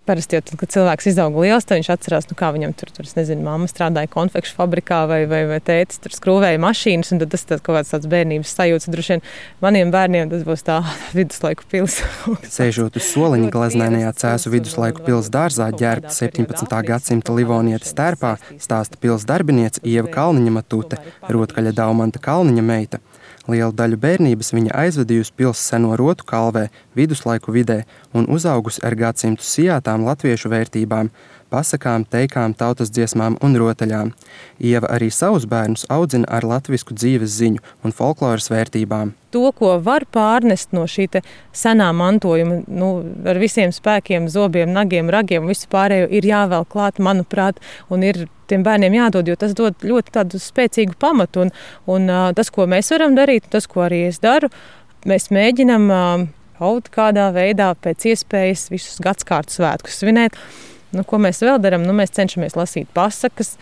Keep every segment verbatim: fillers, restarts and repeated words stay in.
Parasti jau tad, kad cilvēks izauga liels, tad viņš atcerās, nu kā viņam tur, tur es nezinu, mamma strādāja konfekšu fabrikā vai, vai, vai tētis tur skrūvēja mašīnas, un tad tas tāds kaut kāds tāds bērnības sajūts. Droši vien maniem bērniem tas būs tā viduslaiku pils. Sēžot uz soliņa glaznēnajā Cēsu viduslaiku pils dārzā ģērbta septiņpadsmitā gadsimta Livonietes tērpā, stāsta pils darbiniece Ieva Kalniņa Matute, rotkaļa Daumanta Kalniņa meita. Lielu daļu bērnības viņa aizvadījusi pils seno rotu kalvē, viduslaiku vidē un uzaugusi ar gadsimtu sijātām latviešu vērtībām, pasakām, teikām, tautas dziesmām un rotaļām. Ieva arī savus bērnus audzina ar latvisku dzīves ziņu un folkloras vērtībām. To, ko var pārnest no šī te senā mantojuma, nu, ar visiem spēkiem, zobiem, nagiem, ragiem, visu pārējo ir jāvēl klāt, manuprāt, un ir tiem bērniem jādod, jo tas dod ļoti tādu spēcīgu pamatu. Un, un tas, ko mēs varam darīt, tas, ko arī es daru, mēs mēģinam kaut kādā veidā pēc iespējas visus gadskārtu svētkus svinēt. Nu, ko mēs vēl darām? Nu, mēs cenšamies lasīt pasakas,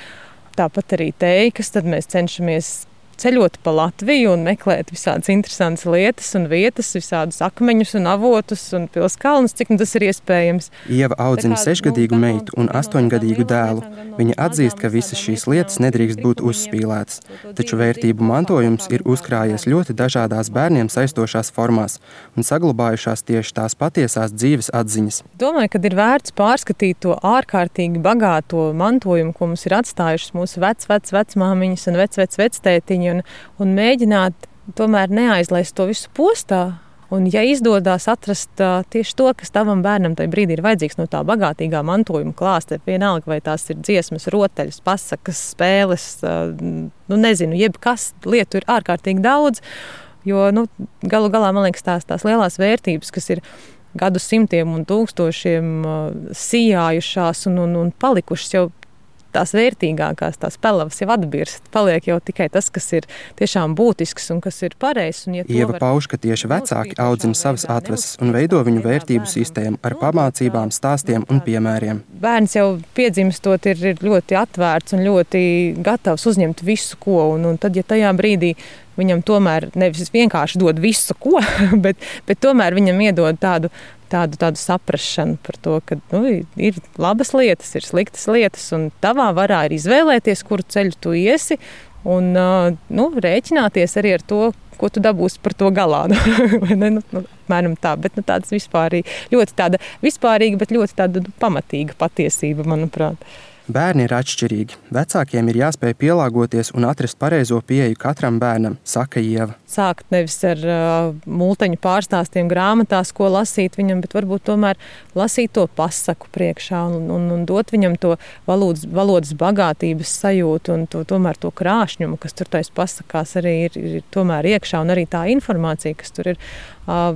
tāpat arī teikas, tad mēs cenšamies ceļot pa Latviju un meklēt visādas interesantas lietas un vietas, visādus akmeņus un avotus un pilskalnus, cik nu tas ir iespējams. Ieva audzina sešgadīgu meitu un astoņgadīgu dēlu. Viņa atzīst, ka visas šīs lietas nedrīkst būt uzspīlētas, taču vērtību mantojums ir uzkrājies ļoti dažādās bērniem saistošās formās un saglabājušās tieši tās patiesās dzīves atziņas. Domāju, ka ir vērts pārskatīt to ārkārtīgi bagāto mantojumu, ko mums ir atstājušas mūsu vec, vec, vecmāmiņas un vec, vec, vectētiņi. Un, un mēģināt tomēr neaizlaist to visu postā. Un, ja izdodās atrast uh, tieši to, kas tavam bērnam tajā brīdī ir vajadzīgs no tā bagātīgā mantojuma klāsta, vienalga, vai tās ir dziesmas, rotaļas, pasakas, spēles, uh, nu nezinu, jebkas lietu ir ārkārtīgi daudz, jo nu, galu galā, man liekas, tās, tās lielās vērtības, kas ir gadu simtiem un tūkstošiem uh, sijājušās un, un, un palikušas jau tās vērtīgākās, tās pelavas jau atbirst. Paliek jau tikai tas, kas ir tiešām būtisks un kas ir pareizs. Ja Ieva pauž, ka tieši vecāki audzina savas atveses un veido viņu vērtību sistēmu ar pamācībām, stāstiem un piemēriem. Bērns jau piedzimstot ir, ir ļoti atvērts un ļoti gatavs uzņemt visu ko. Un, un tad, ja tajā brīdī viņam tomēr nevis vienkārši dod visu ko, bet, bet tomēr viņam iedod tādu Tādu, tādu saprašanu par to, ka nu, ir labas lietas, ir sliktas lietas, un tavā varā ir izvēlēties, kuru ceļu tu iesi, un nu, rēķināties arī ar to, ko tu dabūsi par to galā. ne, nu, nu, mēram tā, bet nu, tāds vispārīgi, ļoti tāda vispārīga, bet ļoti tāda pamatīga patiesība, manuprāt. Bērni ir atšķirīgi. Vecākiem ir jāspēj pielāgoties un atrast pareizo pieeju katram bērnam, saka Ieva. Sākt nevis ar uh, multeņu pārstāstiem grāmatās, ko lasīt viņam, bet varbūt tomēr lasīt to pasaku priekšā un, un, un dot viņam to valodas, valodas bagātības sajūtu un to, tomēr to krāšņumu, kas tur tais pasakās arī ir, ir tomēr iekšā, un arī tā informācija, kas tur ir. Uh,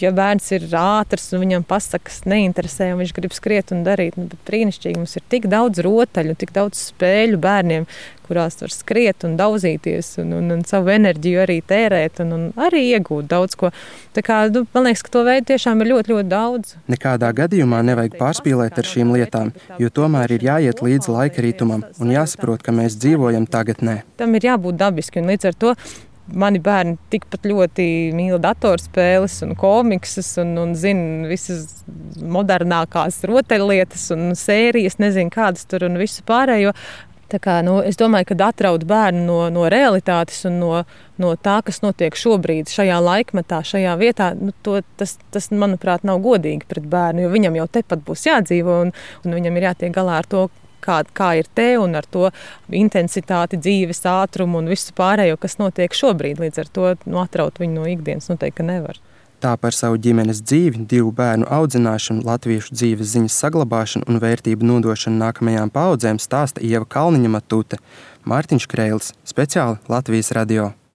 Ja bērns ir ātrs un viņam pasakas neinteresē un viņš grib skriet un darīt, nu, bet brīnišķīgi mums ir tik daudz rotaļu, tik daudz spēļu bērniem, kurās var skriet un daudzīties un, un, un savu enerģiju arī tērēt un, un arī iegūt daudz ko. Tā kā, nu, man liekas, ka to veidu tiešām ir ļoti, ļoti daudz. Nekādā gadījumā nevajag pārspīlēt ar šīm lietām, jo tomēr ir jāiet līdz laika ritumam un jāsaprot, ka mēs dzīvojam tagadnē. Tam ir jābūt dabiski un līdz ar to mani bērni tikpat ļoti mīl datorspēles un komiksas un, un zina visas modernākās rotaļlietas un sērijas, nezinu kādas tur un visu pārējo. Tā kā, nu, es domāju, ka atraut bērnu no, no realitātes un no, no tā, kas notiek šobrīd šajā laikmetā, šajā vietā, nu, to, tas, tas, manuprāt, nav godīgi pret bērnu, jo viņam jau tepat būs jādzīvo un, un viņam ir jātiek galā ar to, Kā, kā ir te un ar to intensitāti, dzīves ātrumu un visu pārējo, kas notiek šobrīd. Līdz ar to nu, atraut viņu no ikdienas noteikti nevar. Tā par savu ģimenes dzīvi, divu bērnu audzināšanu, latviešu dzīves ziņas saglabāšanu un vērtību nodošanu nākamajām paaudzēm stāsta Ieva Kalniņa Matute. Mārtiņš Kreilis, speciāli Latvijas radio.